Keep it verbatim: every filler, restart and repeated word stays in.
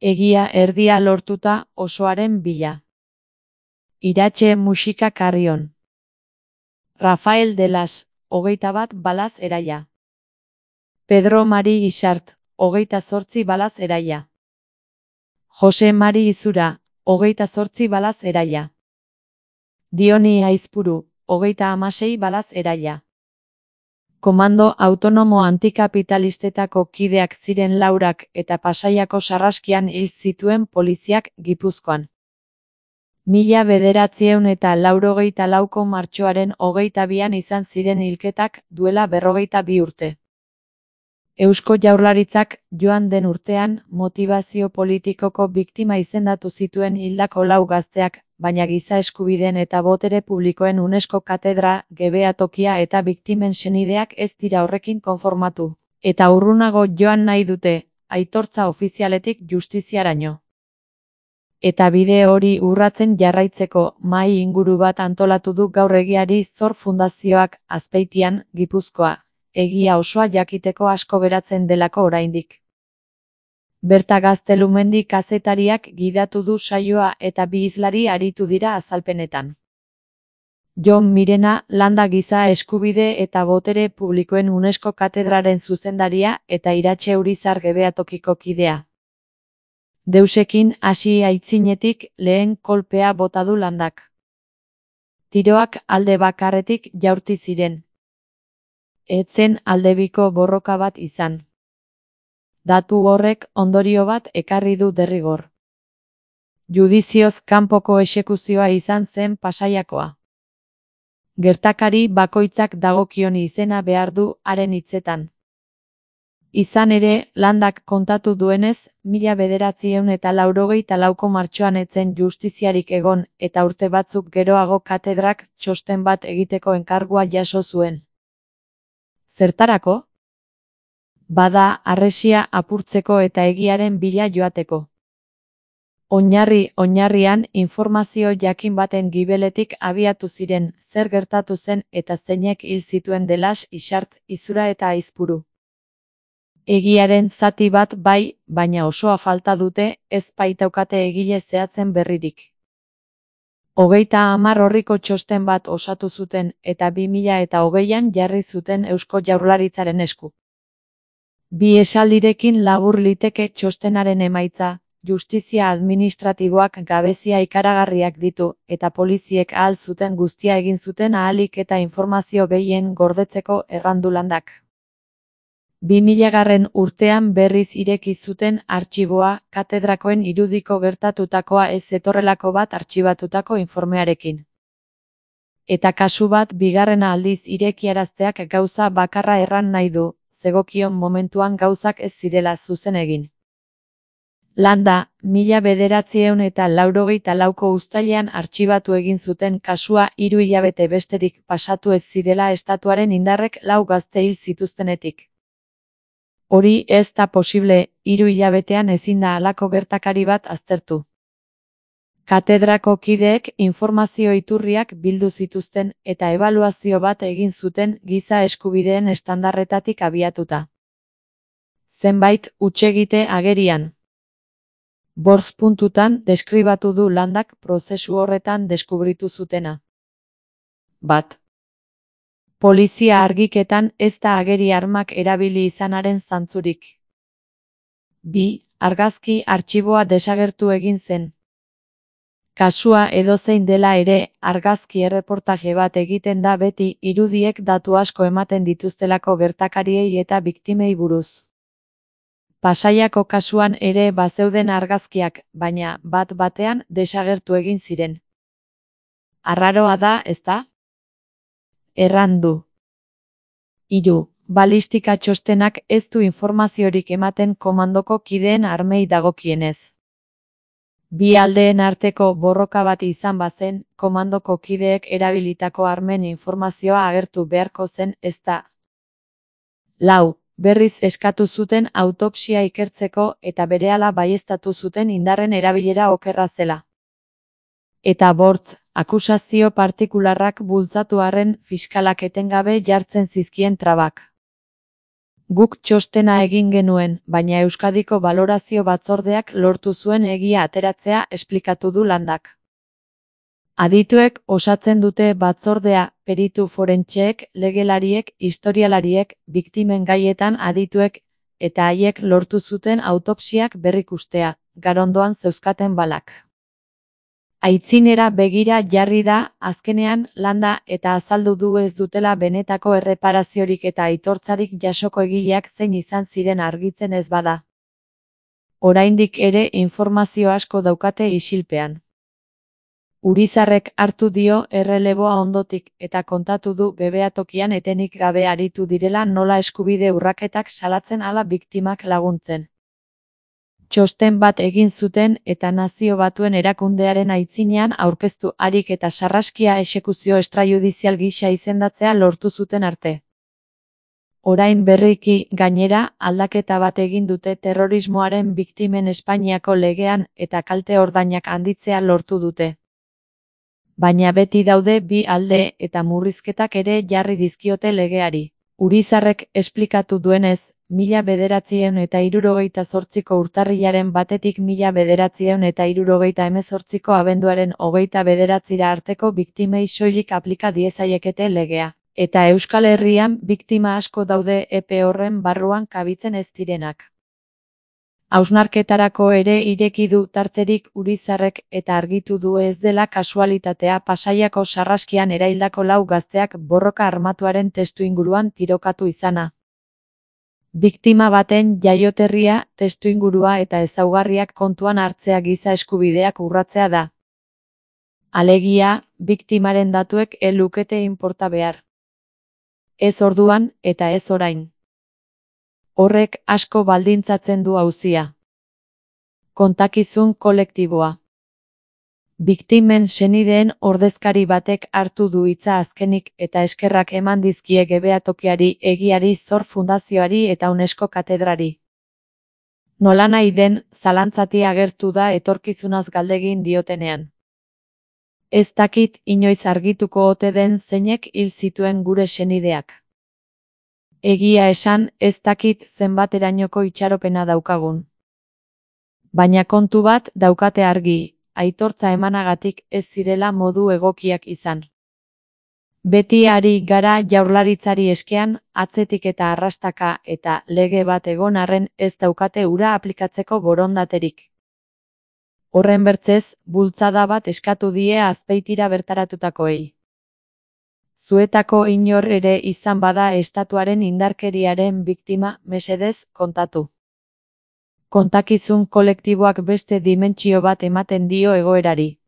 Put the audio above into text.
Egia erdia lortuta osoaren bila. Iratxe musika Carrion. Rafael de las, hogeita bat balaz eraia. Pedro Mari Isart, hogeita zortzi balaz eraia. Jose Mari Izura, hogeita zortzi balaz eraia. Dioni Aizpuru, hogeita hamasei balaz eraia. Komando autonomo antikapitalistetako kideak ziren Laurak eta Pasaiako sarraskian hil zituen poliziak Gipuzkoan. Mila bederatziehun eta laurogeita lauko martxoaren hogeita bian izan ziren hilketak duela berrogeita bi urte. Eusko Jaurlaritzak joan den urtean motibazio politikoko biktima izendatu zituen hildako lau gazteak, baina giza eskubideen eta botere publikoen UNESCO katedra, gebeatokia eta biktimen senideak ez dira horrekin konformatu, eta urrunago joan nahi dute, aitortza ofizialetik justiziaraino. Eta bide hori urratzen jarraitzeko mahai inguru bat antolatu du gaur Egiari Zor Fundazioak Azpeitian, Gipuzkoa, egia osoa jakiteko asko geratzen delako oraindik. Berta Gaztelumendi kazetariak gidatu du saioa eta bi hizlari aritu dira azalpenetan. Jon Mirena, Landa Giza Eskubide eta Botere Publikoen UNESCO katedraren zuzendaria eta Iratxe Urizar gebeatokiko kidea. Deusekin hasi aitzinetik lehen kolpea bota du Landak. Tiroak alde bakarretik jaurti ziren. Etzen aldebiko borroka bat izan. Datu horrek ondorio bat ekarri du derrigor. Judizioz kanpoko exekuzioa izan zen Pasaiakoa. Gertakari bakoitzak dagokion izena behar du haren hitzetan. Izan ere, Landak kontatu duenez, mila bederatziehun eta laurogeita lauko martxoan etzen justiziarik egon eta urte batzuk geroago katedrak txosten bat egiteko enkargua jaso zuen. Zertarako? Bada harresia apurtzeko eta egiaren bila joateko. Oinarri oinarrian informazio jakin baten gibeletik abiatu ziren zer gertatu zen eta zeinek hil zituen De las, Isart, Izura eta Aizpuru. Egiaren zati bat bai, baina osoa falta dute, ez baitaukate egile zehatzen berririk. Hogeita hamar orriko txosten bat osatu zuten eta bi mila eta hogeian jarri zuten Eusko Jaurlaritzaren esku. Bi esaldirekin labur liteke txostenaren emaitza, justizia administratiboak gabezia ikaragarriak ditu eta poliziek ahal zuten guztia egin zuten ahalik eta informazio gehien gordetzeko errandu Landak. Bi milagarren urtean berriz ireki zuten artxiboa katedrakoen irudiko gertatutakoa ez zetorrelako bat artxibatutako informearekin. Eta kasu bat bigarrena aldiz irekiarazteak gauza bakarra erran nahi du, zegokion momentuan gauzak ez zirela zuzen egin. Landa, mila bederatziehun eta laurogeita lauko uztailean artxibatu egin zuten kasua hiru hilabete besterik pasatu ez zirela estatuaren indarrek lau gazte hil zituztenetik. Hori ez da posible, hiru hilabetean ezin da halako gertakari bat aztertu. Katedrako kideek informazio iturriak bildu zituzten eta ebaluazio bat egin zuten giza eskubideen estandarretatik abiatuta. Zenbait hutsegite agerian. Bortz puntutan deskribatu du Landak prozesu horretan deskubritu zutena. Bat. Polizia argiketan ez da ageri armak erabili izanaren zantzurik. Bi. Argazki artxiboa desagertu egin zen. Kasua edozein dela ere, argazki erreportaje bat egiten da beti irudiek datu asko ematen dituztelako gertakariei eta biktimei buruz. Pasaiako kasuan ere bazeuden argazkiak, baina bat batean desagertu egin ziren. Arraroa da, ezta? Errandu. Hiru. Balistika txostenak ez du informaziorik ematen komandoko kideen armei dagokienez. Bi aldeen arteko borroka bat izan bazen, komandoko kideek erabilitako armen informazioa agertu beharko zen ezta. Lau. Berriz eskatu zuten autopsia ikertzeko eta berehala baieztatu zuten indarren erabilera okerra zela. Eta bortz, akusazio partikularrak bultzatu arren fiskalak etengabe jartzen zizkien trabak. Guk txostena egin genuen, baina Euskadiko Balorazio Batzordeak lortu zuen egia ateratzea esplikatu du Landak. Adituek osatzen dute batzordea, peritu forentseek, legelariek, historialariek, biktimen gaietan adituek, eta haiek lortu zuten autopsiak berrikustea, garondoan zeuzkaten balak. Aitzinera begira jarri da, azkenean, Landa eta azaldu du ez dutela benetako erreparaziorik eta aitortzarik jasoko egileak zein izan ziren argitzen ez bada. Oraindik ere informazio asko daukate isilpean. Urizarrek hartu dio erreleboa ondotik eta kontatu du gebeatokian etenik gabe aritu direla nola eskubide urraketak salatzen ala biktimak laguntzen. Txosten bat egin zuten eta Nazio Batuen erakundearen aitzinean aurkeztu harik eta sarraskia exekuzio extrajudizial gisa izendatzea lortu zuten arte. Orain berriki, gainera, aldaketa bat egin dute terrorismoaren biktimen Espainiako legean eta kalte ordainak handitzea lortu dute. Baina beti daude bi alde eta murrizketak ere jarri dizkiote legeari. Urizarrek esplikatu duenez, mila bederatziehun eta hirurogeita zortziko urtarrilaren batetik mila bederatziehun eta hirurogeita hemezortziko abenduaren hogeita bederatzira arteko biktimei soilik aplika diezaiekete legea. Eta Euskal Herrian biktima asko daude epe horren barruan kabitzen ez direnak. Hausnarketarako ere ireki du tarterik Urizarrek eta argitu du ez dela kasualitatea Pasaiako sarraskian eraildako lau gazteak borroka armatuaren testuinguruan tirokatu izana. Biktima baten jaioterria, testuingurua eta ezaugarriak kontuan hartzea giza eskubideak urratzea da. Alegia, biktimaren datuek ez lukete inporta behar. Ez orduan eta ez orain. Horrek asko baldintzatzen du auzia. Kontakizun kolektiboa. Biktimen senideen ordezkari batek hartu du hitza azkenik eta eskerrak eman dizkie gebeatokiari, egiari, Zor Fundazioari eta UNESCO katedrari. Nolanahi den, zalantzati agertu da etorkizunaz galdegin diotenean. Ez dakit inoiz argituko ote den zeinek hil zituen gure senideak. Egia esan, ez dakit zenbaterainoko itxaropena daukagun. Baina kontu bat daukate argi, aitortza emanagatik ez zirela modu egokiak izan. Beti ari gara Jaurlaritzari eskean, atzetik eta arrastaka eta lege bat egon arren ez daukate hura aplikatzeko borondaterik. Horren bertzez, bultzada bat eskatu die Azpeitira bertaratutakoei. Zuetako inor ere izan bada estatuaren indarkeriaren biktima, mesedez, kontatu. Kontakizun kolektiboak beste dimentsio bat ematen dio egoerari.